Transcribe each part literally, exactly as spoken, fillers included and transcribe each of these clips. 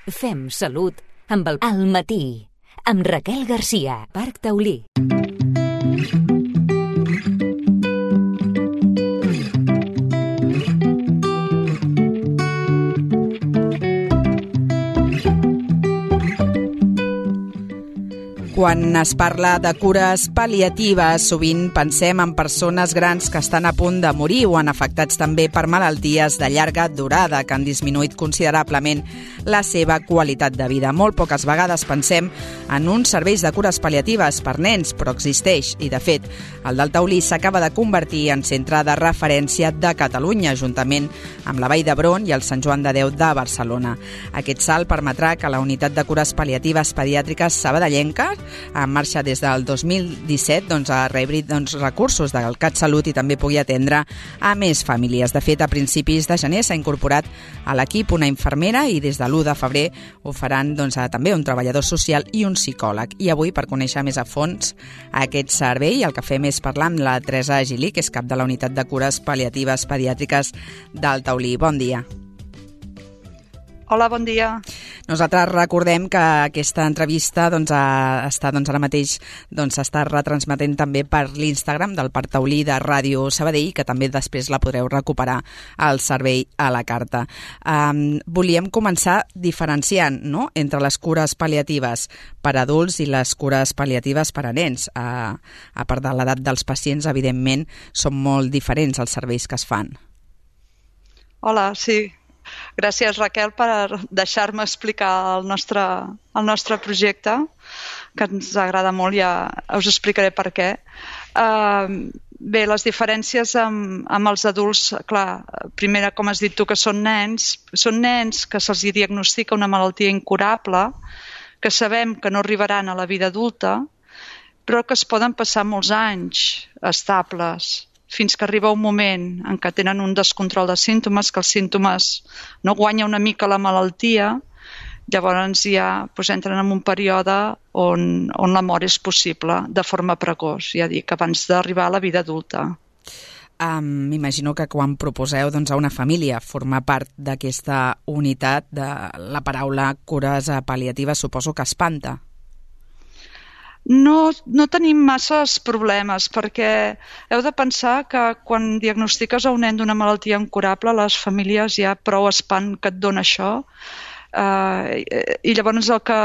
Fem salut amb el Al matí, amb Raquel Garcia, Parc Taulí. Quan es parla de cures pal·liatives, sovint pensem en persones grans que estan a punt de morir o en afectats també per malalties de llarga durada que han disminuït considerablement la seva qualitat de vida. Molt poques vegades pensem en uns serveis de cures pal·liatives per nens, però existeix i, de fet, el del Taulí s'acaba de convertir en centre de referència de Catalunya, juntament amb la Vall d'Hebron i el Sant Joan de Déu de Barcelona. Aquest salt permetrà que la unitat de cures pal·liatives pediàtriques sabadellenca, en marxa des del dos mil disset, doncs, a rebre doncs, recursos del CatSalut i també pugui atendre a més famílies. De fet, a principis de gener s'ha incorporat a l'equip una infermera i des de l'u de febrer ho faran doncs, també un treballador social i un psicòleg. I avui, per conèixer més a fons aquest servei, el que fem és parlar amb la Teresa Gili, que és cap de la unitat de cures pal·liatives pediàtriques del Taulí. Bon dia. Hola, bon dia. Nosaltres recordem que aquesta entrevista doncs, està doncs, ara mateix doncs, està retransmetent també per l'Instagram del Parc Taulí de Ràdio Sabadell, que també després la podreu recuperar al servei a la carta. Um, volíem començar diferenciant, no?, entre les cures pal·liatives per a adults i les cures pal·liatives per a nens. Uh, a part de l'edat dels pacients, evidentment, són molt diferents els serveis que es fan. Hola, sí. Gràcies, Raquel, per deixar-me explicar el nostre, el nostre projecte, que ens agrada molt, ja us explicaré per què. Uh, bé, les diferències amb, amb els adults, clar, primera, com has dit tu, que són nens, són nens que se'ls diagnostica una malaltia incurable, que sabem que no arribaran a la vida adulta, però que es poden passar molts anys estables, fins que arriba un moment en què tenen un descontrol de símptomes, que els símptomes no guanya una mica la malaltia, llavors ja doncs, entren en un període on, on la mort és possible de forma precoç, ja dic, abans d'arribar a la vida adulta. Um, M'imagino que quan proposeu doncs, a una família formar part d'aquesta unitat, de la paraula cures pal·liatives suposo que espanta. No, no tenim masses problemes perquè heu de pensar que quan diagnostiques a un nen d'una malaltia incurable, les famílies ja prou espant que et dona això. Uh, i llavors el que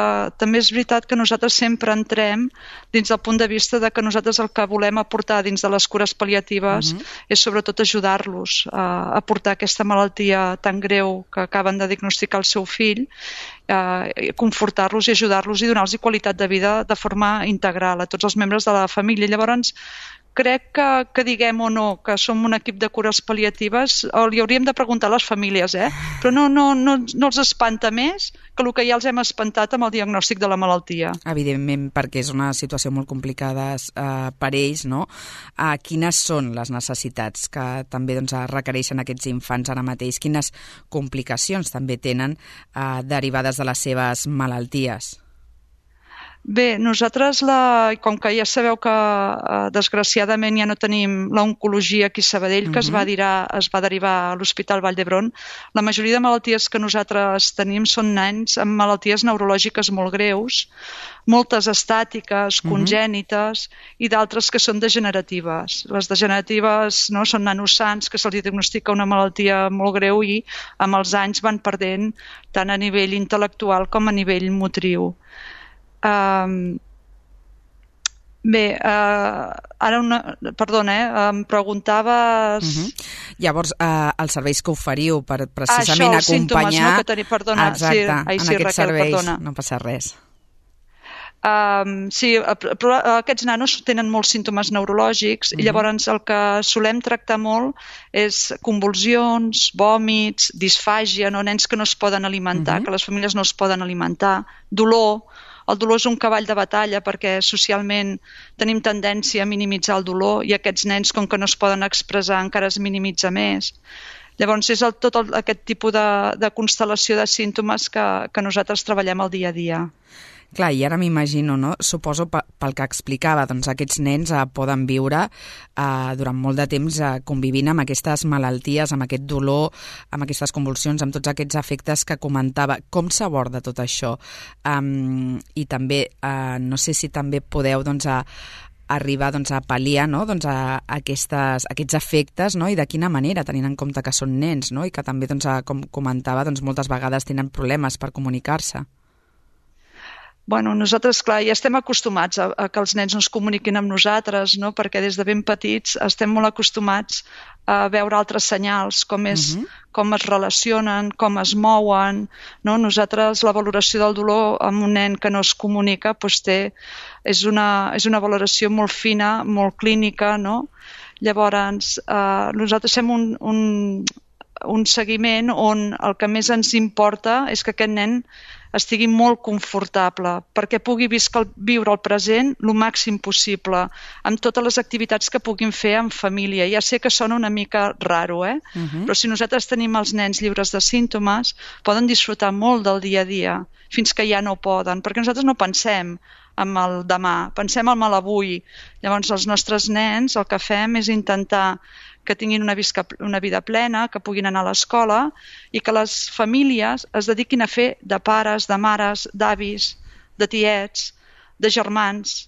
també és veritat que nosaltres sempre entrem dins del punt de vista de que nosaltres el que volem aportar dins de les cures pal·liatives uh-huh. és sobretot ajudar-los a, a portar aquesta malaltia tan greu que acaben de diagnosticar el seu fill, uh, confortar-los i ajudar-los i donar-los qualitat de vida de forma integral a tots els membres de la família. Llavors crec que, que diguem o no que som un equip de cures pal·liatives, o li hauríem de preguntar a les famílies, eh? Però no, no, no, no els espanta més que el que ja els hem espantat amb el diagnòstic de la malaltia. Evidentment, perquè és una situació molt complicada eh, per ells, no? Eh, quines són les necessitats que també doncs, requereixen aquests infants ara mateix? Quines complicacions també tenen eh, derivades de les seves malalties? Bé, nosaltres, la, com que ja sabeu que eh, desgraciadament ja no tenim l'oncologia aquí a Sabadell, uh-huh. que es va, dirar, es va derivar a l'Hospital Vall d'Hebron, la majoria de malalties que nosaltres tenim són nens amb malalties neurològiques molt greus, moltes estàtiques, congènites, uh-huh. i d'altres que són degeneratives. Les degeneratives no, són nanos sans que se'ls diagnostica una malaltia molt greu i amb els anys van perdent tant a nivell intel·lectual com a nivell motriu. Um, bé, uh, ara una, perdona, eh, em preguntaves... Uh-huh. Llavors, uh, els serveis que oferiu per precisament ah, això, acompanyar... símptomes, no, que teni... Perdona, exacte, sí, ai, en sí, aquests Raquel, serveis perdona. No passa res. Um, sí, però aquests nanos tenen molts símptomes neurològics uh-huh. i llavors el que solem tractar molt és convulsions, vòmits, disfàgia, no? Nens que no es poden alimentar, uh-huh. que les famílies no es poden alimentar, dolor. El dolor és un cavall de batalla perquè socialment tenim tendència a minimitzar el dolor i aquests nens, com que no es poden expressar, encara es minimitza més. Llavors és el, tot el, aquest tipus de, de constel·lació de símptomes que, que nosaltres treballem al dia a dia. Clar, i ara m'imagino, no? Suposo pel que explicava, doncs aquests nens eh, poden viure eh, durant molt de temps eh, convivint amb aquestes malalties, amb aquest dolor, amb aquestes convulsions, amb tots aquests efectes que comentava. Com s'aborda tot això? Um, I també, eh, no sé si també podeu doncs, a, arribar doncs, a pal·liar, no? doncs, a, a aquestes, aquests efectes, no? I de quina manera, tenint en compte que són nens, no? I que també, doncs, a, com comentava, doncs, moltes vegades tenen problemes per comunicar-se. Bueno, nosaltres, clar, ja estem acostumats a, a que els nens no es comuniquin amb nosaltres, no? Perquè des de ben petits estem molt acostumats a veure altres senyals, com, és, uh-huh. com es relacionen, com es mouen. No? Nosaltres la valoració del dolor amb un nen que no es comunica doncs té, és, una, és una valoració molt fina, molt clínica. No? Llavors, eh, nosaltres fem un, un, un seguiment on el que més ens importa és que aquest nen estigui molt confortable, perquè pugui viscar, viure el present el màxim possible, amb totes les activitats que puguin fer en família. Ja sé que sona una mica raro, eh? Uh-huh. Però si nosaltres tenim els nens lliures de símptomes, poden disfrutar molt del dia a dia, fins que ja no poden, perquè nosaltres no pensem en el demà, pensem en l'avui. Llavors, els nostres nens el que fem és intentar que tinguin una, visca, una vida plena, que puguin anar a l'escola i que les famílies es dediquin a fer de pares, de mares, d'avis, de tiets, de germans,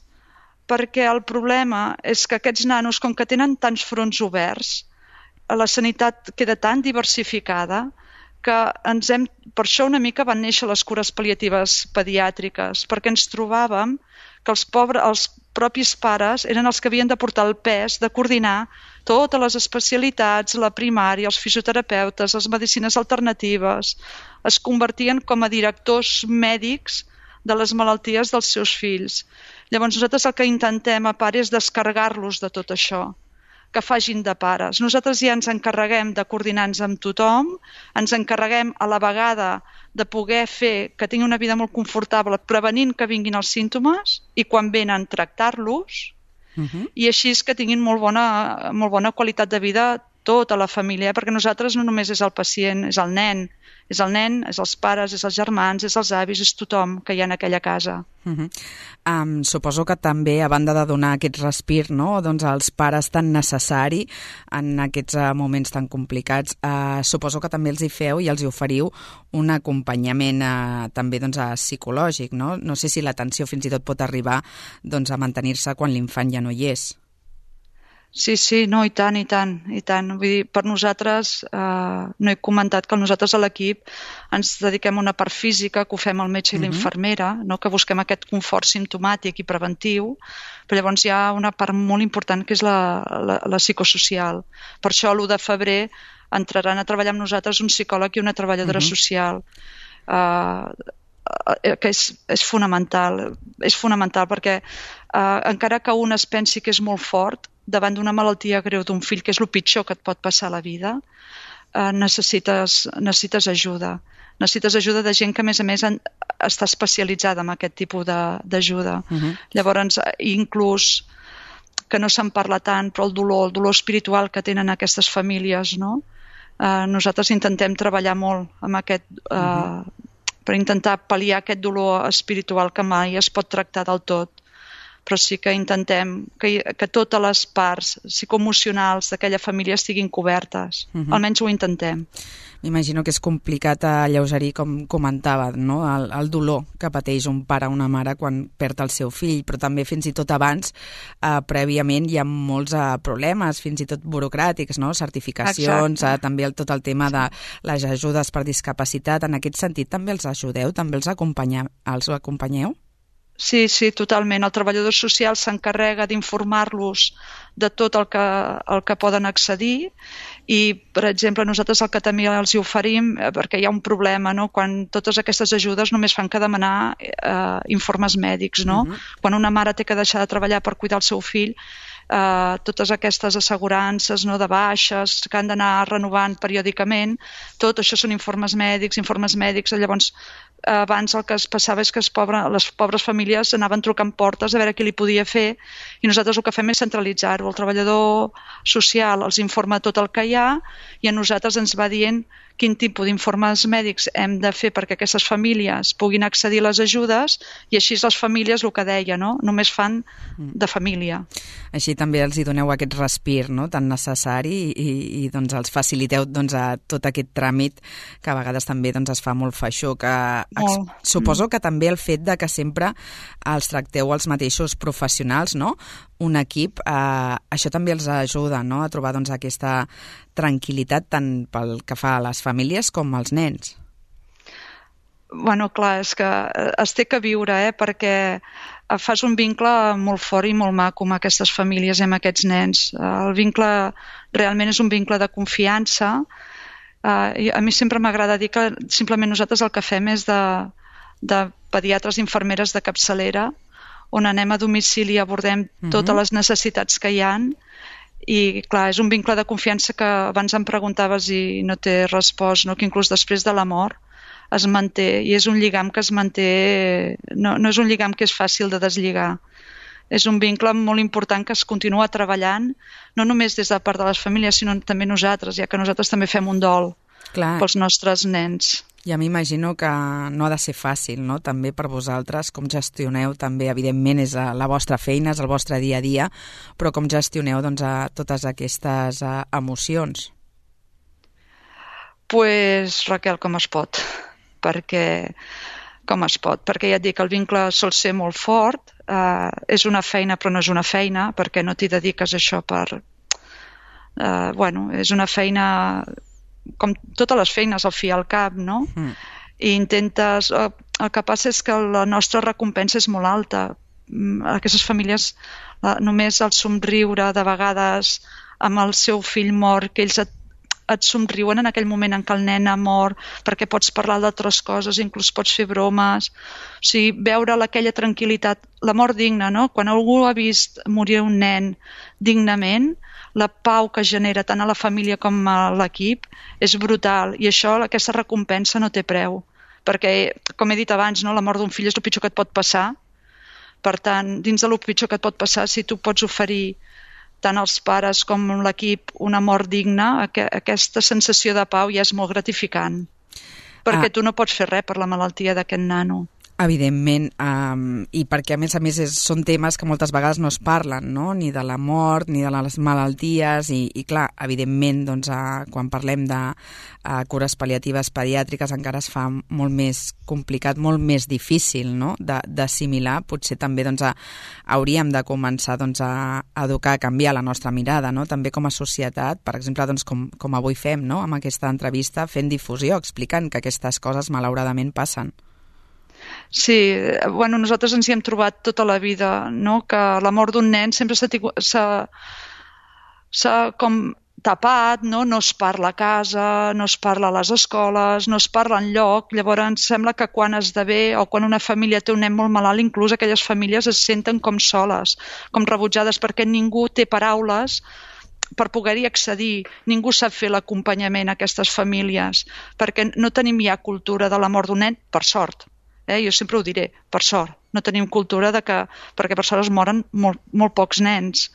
perquè el problema és que aquests nanos, com que tenen tants fronts oberts, la sanitat queda tan diversificada que ens hem, per això una mica van néixer les cures pal·liatives pediàtriques, perquè ens trobàvem que els, pobres, els propis pares eren els que havien de portar el pes de coordinar totes les especialitats, la primària, els fisioterapeutes, les medicines alternatives, es convertien com a directors mèdics de les malalties dels seus fills. Llavors nosaltres el que intentem a part és descarregar-los de tot això, que facin de pares. Nosaltres ja ens encarreguem de coordinar-nos amb tothom, ens encarreguem a la vegada de poder fer que tinguin una vida molt confortable, prevenint que vinguin els símptomes i quan venen tractar-los, uh-huh. i així és que tinguin molt bona, molt bona qualitat de vida tota la família, eh? Perquè nosaltres no només és el pacient, és el nen, és el nen, és els pares, és els germans, és els avis, és tothom que hi ha en aquella casa. Uh-huh. Um, suposo que també, a banda de donar aquest respir, no? doncs als pares tan necessari en aquests uh, moments tan complicats, uh, suposo que també els hi feu i els hi oferiu un acompanyament uh, també doncs, uh, psicològic, no? No sé si l'atenció fins i tot pot arribar doncs, a mantenir-se quan l'infant ja no hi és. Sí, sí, no, i tant, i tant, i tant. Vull dir, per nosaltres, eh, no he comentat que nosaltres a l'equip ens dediquem a una part física, que ho fem el metge i uh-huh. l'infermera, no? Que busquem aquest confort simptomàtic i preventiu, però llavors hi ha una part molt important que és la, la, la psicosocial. Per això l'u de febrer entraran a treballar amb nosaltres un psicòleg i una treballadora uh-huh. social, eh, que és, és fonamental, és fonamental perquè eh, encara que un es pensi que és molt fort, davant d'una malaltia greu d'un fill, que és el pitjor que et pot passar a la vida, eh, necessites, necessites ajuda. Necessites ajuda de gent que, a més a més, en, està especialitzada en aquest tipus d'ajuda. Uh-huh. Llavors, inclús, que no se'n parla tant, però el dolor, el dolor espiritual que tenen aquestes famílies, no? Eh, nosaltres intentem treballar molt amb aquest, eh, uh-huh. per intentar pal·liar aquest dolor espiritual que mai es pot tractar del tot. Però sí que intentem que, que totes les parts psicoemocionals d'aquella família estiguin cobertes. Uh-huh. Almenys ho intentem. M'imagino que és complicat alleugerir, com comentava, no? el, el dolor que pateix un pare o una mare quan perd el seu fill, però també fins i tot abans, eh, prèviament, hi ha molts eh, problemes, fins i tot burocràtics, no? Certificacions, eh, també el, tot el tema de les ajudes per discapacitat. En aquest sentit també els ajudeu, també els, acompanya, els acompanyeu? Sí, sí, totalment. El treballador social s'encarrega d'informar-los de tot el que, el que poden accedir i, per exemple, nosaltres el que també els hi oferim, perquè hi ha un problema, no? Quan totes aquestes ajudes només fan que demanar eh, informes mèdics, no? Uh-huh. Quan una mare té que deixar de treballar per cuidar el seu fill, eh, totes aquestes assegurances, no, de baixes que han d'anar renovant periòdicament, tot això són informes mèdics, informes mèdics, llavors abans el que es passava és que es pobre, les pobres famílies anaven trucant portes a veure qui li podia fer, i nosaltres el que fem és centralitzar-ho. El treballador social els informa tot el que hi ha i a nosaltres ens va dient quin tipus d'informes mèdics hem de fer perquè aquestes famílies puguin accedir a les ajudes, i així les famílies, el que deia, no? Només fan de família. Així també els hi doneu aquest respir, no?, tan necessari, i, i doncs els faciliteu doncs, a tot aquest tràmit que a vegades també doncs, es fa molt feixuc. Molt. Suposo que també el fet de que sempre els tracteu els mateixos professionals, no?, un equip, eh, això també els ajuda, no?, a trobar doncs, aquesta tranquil·litat tant pel que fa a les famílies com als nens. Bueno, clar, és que es té que viure, eh? Perquè fas un vincle molt fort i molt maco amb aquestes famílies i amb aquests nens. El vincle realment és un vincle de confiança. Uh, a mi sempre m'agrada dir que simplement nosaltres el que fem és de, de pediatres i infermeres de capçalera, on anem a domicili i abordem uh-huh. totes les necessitats que hi ha. I clar, és un vincle de confiança que abans em preguntaves i no t'he respost, no? Que inclús després de la mort es manté, i és un lligam que es manté, no, no és un lligam que és fàcil de deslligar. És un vincle molt important que es continua treballant, no només des de part de les famílies, sinó també nosaltres, ja que nosaltres també fem un dol Clar. Pels nostres nens. Ja m'imagino que no ha de ser fàcil, no?, també per vosaltres, com gestioneu també, evidentment és la vostra feina, és el vostre dia a dia, però com gestioneu doncs, a totes aquestes a, emocions? Pues, Raquel, com es pot, perquè com es pot, perquè ja et dic, el vincle sol ser molt fort, eh, és una feina però no és una feina, perquè no t'hi dediques a això per... Eh, bueno, és una feina... com totes les feines al fi i al cap, no? Mm. I intentes... El que passa és que la nostra recompensa és molt alta. Aquestes famílies, només el somriure de vegades amb el seu fill mort, que ells et, et somriuen en aquell moment en què el nen ha mort, perquè pots parlar d'altres coses, inclús pots fer bromes. O sigui, veure aquella tranquil·litat, la mort digna, no? Quan algú ha vist morir un nen dignament, la pau que genera tant a la família com a l'equip és brutal, i això, aquesta recompensa no té preu, perquè, com he dit abans, no, la mort d'un fill és el pitjor que et pot passar. Per tant, dins de el pitjor que et pot passar, si tu pots oferir tant als pares com l'equip una mort digna, aquesta sensació de pau ja és molt gratificant, perquè ah. tu no pots fer res per la malaltia d'aquest nano. Evidentment, um, i perquè a més a més és, són temes que moltes vegades no es parlen, no?, ni de la mort, ni de les malalties, i, i clar, evidentment, doncs, uh, quan parlem de uh, cures pal·liatives pediàtriques encara es fa molt més complicat, molt més difícil, no?, d'assimilar. Potser també doncs, a, hauríem de començar doncs, a educar, a canviar la nostra mirada, no?, també com a societat, per exemple, doncs, com, com avui fem, no?, amb aquesta entrevista, fent difusió, explicant que aquestes coses malauradament passen. Sí, bueno, nosaltres ens hi hem trobat tota la vida, no?, que la mort d'un nen sempre s'ha com tapat, no? No es parla a casa, no es parla a les escoles, no es parla enlloc. Llavors sembla que quan esdevé o quan una família té un nen molt malalt, inclús aquelles famílies es senten com soles, com rebutjades, perquè ningú té paraules per poder-hi accedir. Ningú sap fer l'acompanyament a aquestes famílies, perquè no tenim ja cultura de la mort d'un nen, per sort. Eh, jo sempre ho diré, per sort, no tenim cultura de que, perquè per sort es moren molt, molt pocs nens.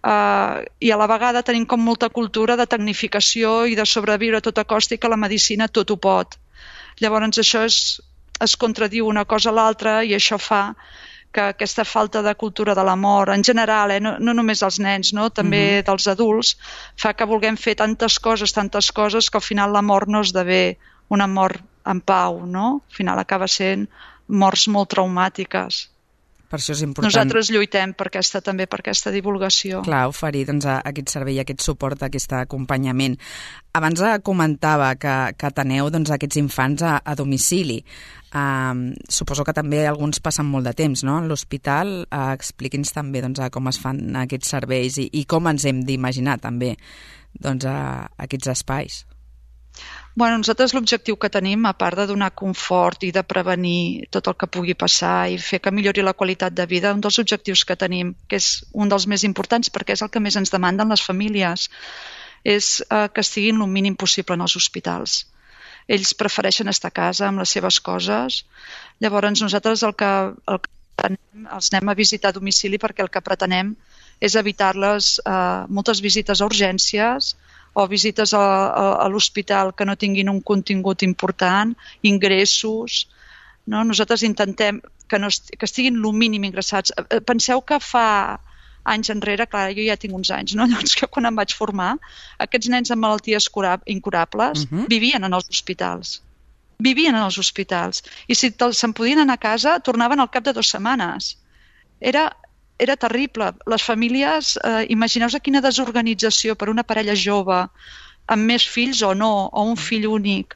Uh, I a la vegada tenim com molta cultura de tecnificació i de sobreviure a tota costa, i que la medicina tot ho pot. Llavors això és, es contradiu una cosa a l'altra, i això fa que aquesta falta de cultura de la mort, en general, eh, no, no només dels nens, no? També uh-huh. dels adults, fa que vulguem fer tantes coses, tantes coses, que al final la mort no esdevé una mort en pau, no? Al final acaba sent morts molt traumàtiques. Per això és important. Nosaltres lluitem per aquesta, també per aquesta divulgació. Clar, oferir doncs, aquest servei, aquest suport, aquest acompanyament. Abans comentava que, que teneu doncs, aquests infants a, a domicili. Uh, suposo que també alguns passen molt de temps, no?, en l'hospital. Uh, expliqui'ns també doncs, com es fan aquests serveis i, i com ens hem d'imaginar també doncs, uh, aquests espais. Bueno, nosaltres l'objectiu que tenim, a part de donar confort i de prevenir tot el que pugui passar i fer que millori la qualitat de vida, un dels objectius que tenim, que és un dels més importants perquè és el que més ens demanden les famílies, és eh, que estiguin el mínim possible en els hospitals. Ells prefereixen estar a casa amb les seves coses. Llavors nosaltres el que, el que pretenem, els anem a visitar a domicili perquè el que pretenem és evitar-les eh, moltes visites a urgències o visites a, a, a l'hospital que no tinguin un contingut important, ingressos. No? Nosaltres intentem que, no est que estiguin el mínim ingressats. Penseu que fa anys enrere, clar, jo ja tinc uns anys, no? Llavors que quan em vaig formar, aquests nens amb malalties incurables uh-huh. vivien en els hospitals. Vivien en els hospitals. I si se'n podien anar a casa, tornaven al cap de dues setmanes. Era... Era terrible. Les famílies, eh, imagineu-vos quina desorganització per una parella jove, amb més fills o no, o un fill únic,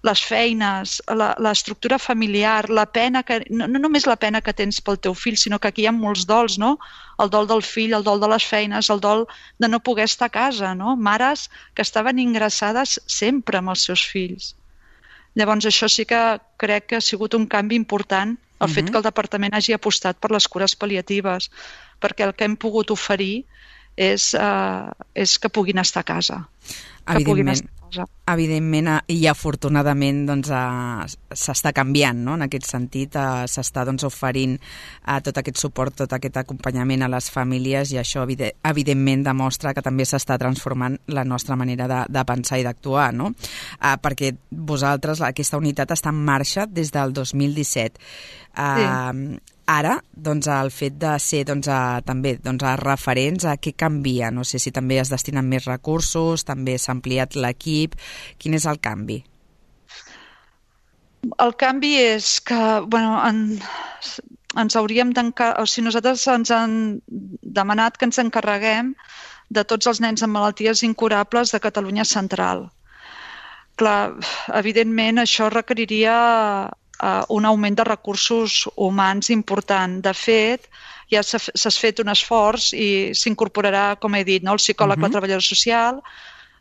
les feines, l'estructura familiar, la pena que, no, no només la pena que tens pel teu fill, sinó que aquí hi ha molts dols, no? El dol del fill, el dol de les feines, el dol de no poder estar a casa, no? Mares que estaven ingressades sempre amb els seus fills. Llavors això sí que crec que ha sigut un canvi important, el uh-huh. fet que el departament hagi apostat per les cures pal·liatives, perquè el que hem pogut oferir és, uh, és que puguin estar a casa. Que puguin estar a casa. Evidentment, i afortunadament doncs, uh, s'està canviant, no? En aquest sentit, uh, s'està doncs, oferint uh, tot aquest suport, tot aquest acompanyament a les famílies, i això evide evidentment demostra que també s'està transformant la nostra manera de, de pensar i d'actuar, no? Uh, perquè vosaltres, aquesta unitat està en marxa des del dos mil disset. Uh, sí. Ara, doncs, el fet de ser doncs, a, també doncs, a referents, a què canvia? No sé si també es destinen més recursos, també s'ha ampliat l'equip. Quin és el canvi? El canvi és que bueno, en, ens hauríem d'encarregar, o sigui, nosaltres ens han demanat que ens encarreguem de tots els nens amb malalties incurables de Catalunya Central. Clar, evidentment això requeriria Uh, un augment de recursos humans important. De fet, ja s'ha fet un esforç i s'incorporarà, com he dit, no? El psicòleg, uh-huh. la treballadora social,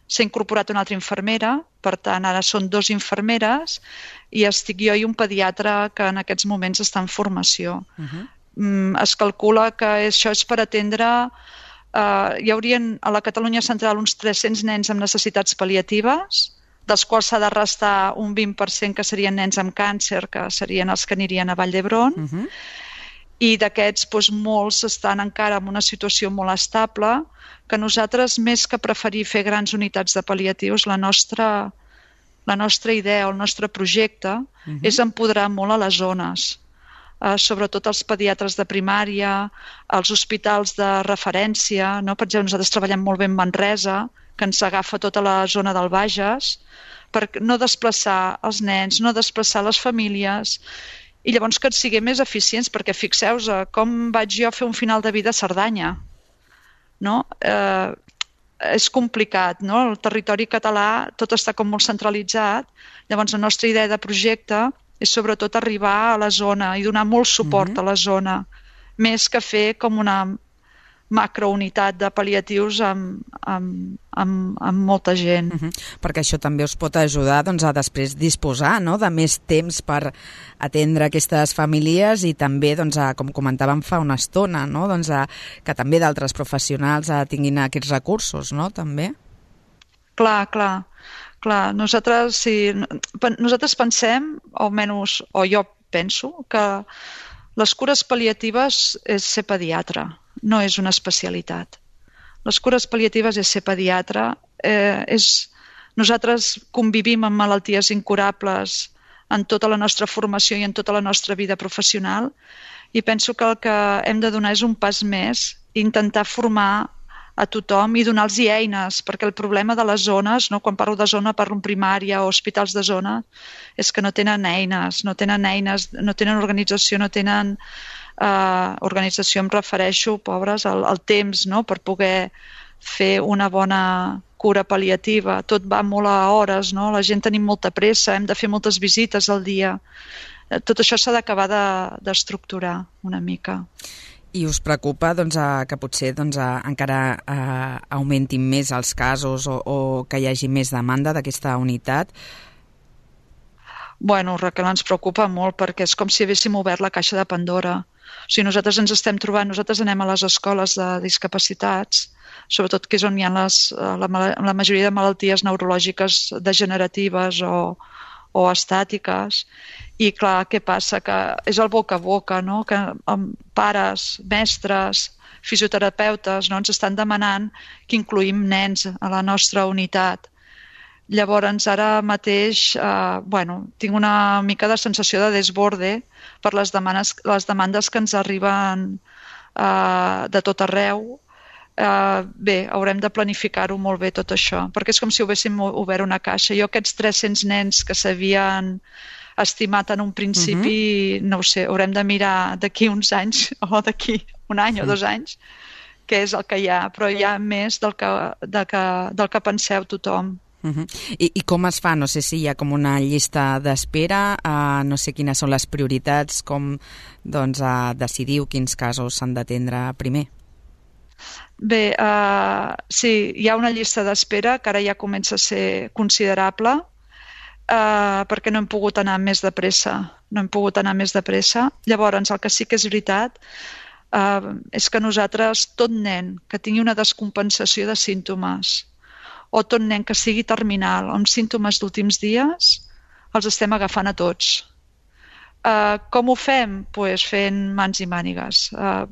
s'ha incorporat una altra infermera, per tant, ara són dos infermeres, i estic jo i un pediatre que en aquests moments està en formació. Uh-huh. mm, es calcula que això és per atendre... Uh, hi haurien a la Catalunya Central uns tres-cents nens amb necessitats pal·liatives, dels quals s'ha de restar un vint per cent que serien nens amb càncer, que serien els que anirien a Vall d'Hebron, uh-huh. i d'aquests doncs, molts estan encara en una situació molt estable, que nosaltres, més que preferir fer grans unitats de pal·liatius, la nostra, la nostra idea o el nostre projecte uh-huh. és empoderar molt a les zones, eh, sobretot els pediatres de primària, els hospitals de referència, no? Per exemple, nosaltres treballem molt bé en Manresa, que ens agafa tota la zona del Bages, per no desplaçar els nens, no desplaçar les famílies, i llavors que ens siguem més eficients, perquè fixeu-vos com vaig jo a fer un final de vida a Cerdanya. No? Eh, és complicat, no? El territori català tot està com molt centralitzat, llavors la nostra idea de projecte és sobretot arribar a la zona i donar molt suport mm-hmm. a la zona, més que fer com una macrounitat de pal·liatius amb, amb, amb, amb molta gent. Uh-huh. Perquè això també us pot ajudar doncs, a després disposar, no?, de més temps per atendre aquestes famílies i també, doncs, a, com comentàvem fa una estona, no?, doncs, a, que també d'altres professionals a, tinguin aquests recursos, no?, també. Clar, clar. clar. Nosaltres, sí, nosaltres pensem, o almenys, o jo penso, que les cures pal·liatives és ser pediatre, no és una especialitat. Les cures pal·liatives és ser pediatre. Eh, és... Nosaltres convivim amb malalties incurables en tota la nostra formació i en tota la nostra vida professional i penso que el que hem de donar és un pas més, intentar formar a tothom i donar-los eines, perquè el problema de les zones, no? Quan parlo de zona parlo en primària o hospitals de zona, és que no tenen eines, no tenen eines, no tenen organització, no tenen... Uh, organització, em refereixo, pobres, al, al temps, no?, per poder fer una bona cura pal·liativa. Tot va molt a hores, no? La gent tenim molta pressa, hem de fer moltes visites al dia. Tot això s'ha d'acabar d'estructurar una mica. I us preocupa doncs, que potser doncs, encara eh, augmentin més els casos o, o que hi hagi més demanda d'aquesta unitat? Bueno, Raquel, ens preocupa molt perquè és com si haguéssim obert la caixa de Pandora. O sigui, nosaltres ens estem trobant, nosaltres anem a les escoles de discapacitats, sobretot que és on hi ha les, la, la majoria de malalties neurològiques degeneratives o, o estàtiques. I clar, què passa? Que és el boca a boca, no? Que pares, mestres, fisioterapeutes no? ens estan demanant que incluïm nens a la nostra unitat. Llavors, ara mateix, eh, bueno, tinc una mica de sensació de desborde per les demandes, les demandes que ens arriben eh, de tot arreu. Eh, bé, haurem de planificar-ho molt bé tot això, perquè és com si haguéssim obert una caixa. Jo aquests tres-cents nens que s'havien estimat en un principi, uh-huh. no ho sé, haurem de mirar d'aquí uns anys o d'aquí un any sí. o dos anys què és el que hi ha, però hi ha més del que, del que, del que penseu tothom. Uh-huh. I, I com es fa? No sé si hi ha com una llista d'espera, uh, no sé quines són les prioritats, com doncs, uh, decidiu quins casos s'han d'atendre primer. Bé, uh, sí, hi ha una llista d'espera que ara ja comença a ser considerable, Uh, perquè no hem pogut anar més de pressa. No hem pogut anar més de pressa. Llavors, el que sí que és veritat uh, és que nosaltres, tot nen que tingui una descompensació de símptomes o tot nen que sigui terminal amb símptomes d'últims dies, els estem agafant a tots. Uh, com ho fem? Pues fent mans i mànigues. Uh,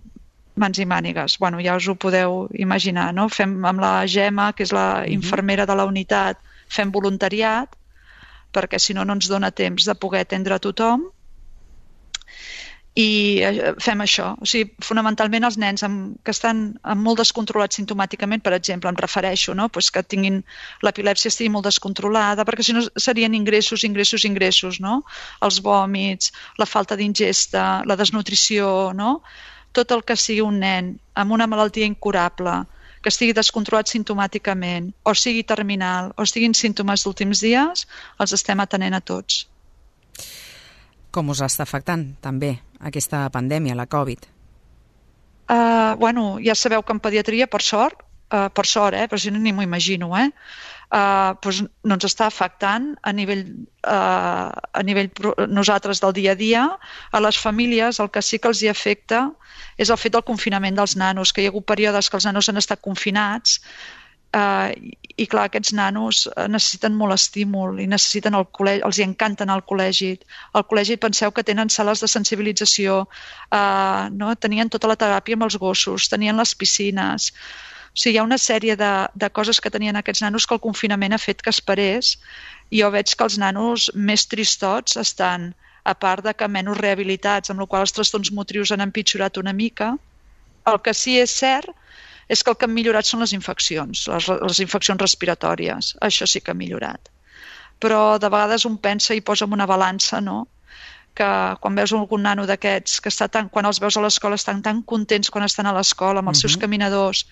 mans i mànigues. Bueno, ja us ho podeu imaginar, no? Fem amb la Gemma, que és la infermera de la unitat, fem voluntariat, perquè si no no ens dona temps de poder atendre a tothom i fem això. O sigui, fonamentalment els nens amb, que estan amb molt descontrolats simptomàticament, per exemple, em refereixo, no? Pues que tinguin l'epilèpsia estigui molt descontrolada, perquè si no serien ingressos, ingressos, ingressos, no? Els vòmits, la falta d'ingesta, la desnutrició, no? Tot el que sigui un nen amb una malaltia incurable, que estigui descontrolat simptomàticament, o sigui terminal, o estiguin símptomes d'últims dies, els estem atenent a tots. Com us està afectant, també, aquesta pandèmia, la Covid? Uh, bueno, ja sabeu que en pediatria, per sort, uh, per sort, eh, però si no ni m'ho imagino, eh, uh, doncs no ens està afectant a nivell, uh, a nivell nosaltres del dia a dia. A les famílies el que sí que els hi afecta és el fet del confinament dels nanos, que hi ha hagut períodes que els nanos han estat confinats eh, i clar, aquests nanos necessiten molt estímul i necessiten el col·legi, els hi encanta anar al col·legi. Al col·legi penseu que tenen sales de sensibilització, eh, no? Tenien tota la teràpia amb els gossos, tenien les piscines. O sigui, hi ha una sèrie de, de coses que tenien aquests nanos que el confinament ha fet que esperés, i jo veig que els nanos més tristots estan, a part de que menys rehabilitats, amb la qual els trastorns motrius han empitjorat una mica. El que sí és cert és que el que han millorat són les infeccions, les, les infeccions respiratòries. Això sí que ha millorat. Però de vegades un pensa i posa en una balança, no?, que quan veus algun nano d'aquests, que està tan, quan els veus a l'escola estan tan contents quan estan a l'escola amb els uh-huh. seus caminadors,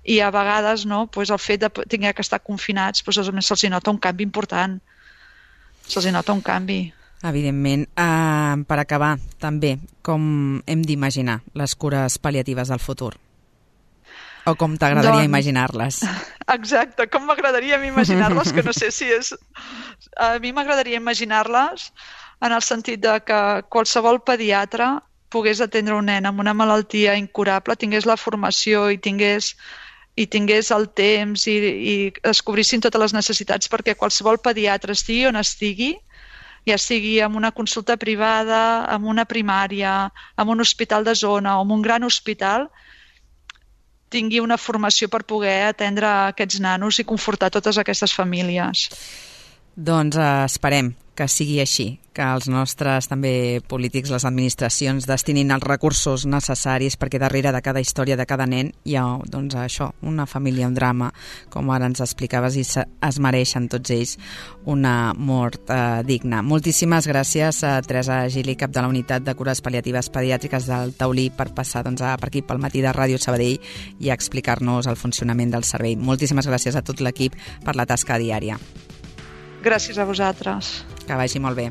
i a vegades no, pues el fet de tenir que estar confinats, pues se'ls nota un canvi important. Se'ls nota un canvi. Evidentment. Uh, per acabar, també, com hem d'imaginar les cures pal·liatives del futur? O com t'agradaria doncs, imaginar-les? Exacte, com m'agradaria imaginar-les, que no sé si és... A mi m'agradaria imaginar-les en el sentit de que qualsevol pediatre pogués atendre un nen amb una malaltia incurable, tingués la formació i tingués, i tingués el temps i, i descobrissin totes les necessitats, perquè qualsevol pediatre estigui on estigui, ja sigui en una consulta privada, en una primària, en un hospital de zona o en un gran hospital, tingui una formació per poder atendre aquests nanos i confortar totes aquestes famílies. Doncs eh, esperem que sigui així, que els nostres també polítics, les administracions, destinin els recursos necessaris, perquè darrere de cada història de cada nen hi ha, doncs, això, una família, un drama, com ara ens explicaves, i es mereixen tots ells una mort eh, digna. Moltíssimes gràcies a Teresa Gili, cap de la Unitat de Cures Pal·liatives Pediàtriques del Taulí, per passar doncs, per aquí pel matí de Ràdio Sabadell i explicar-nos el funcionament del servei. Moltíssimes gràcies a tot l'equip per la tasca diària. Gràcies a vosaltres. Que vagi molt bé.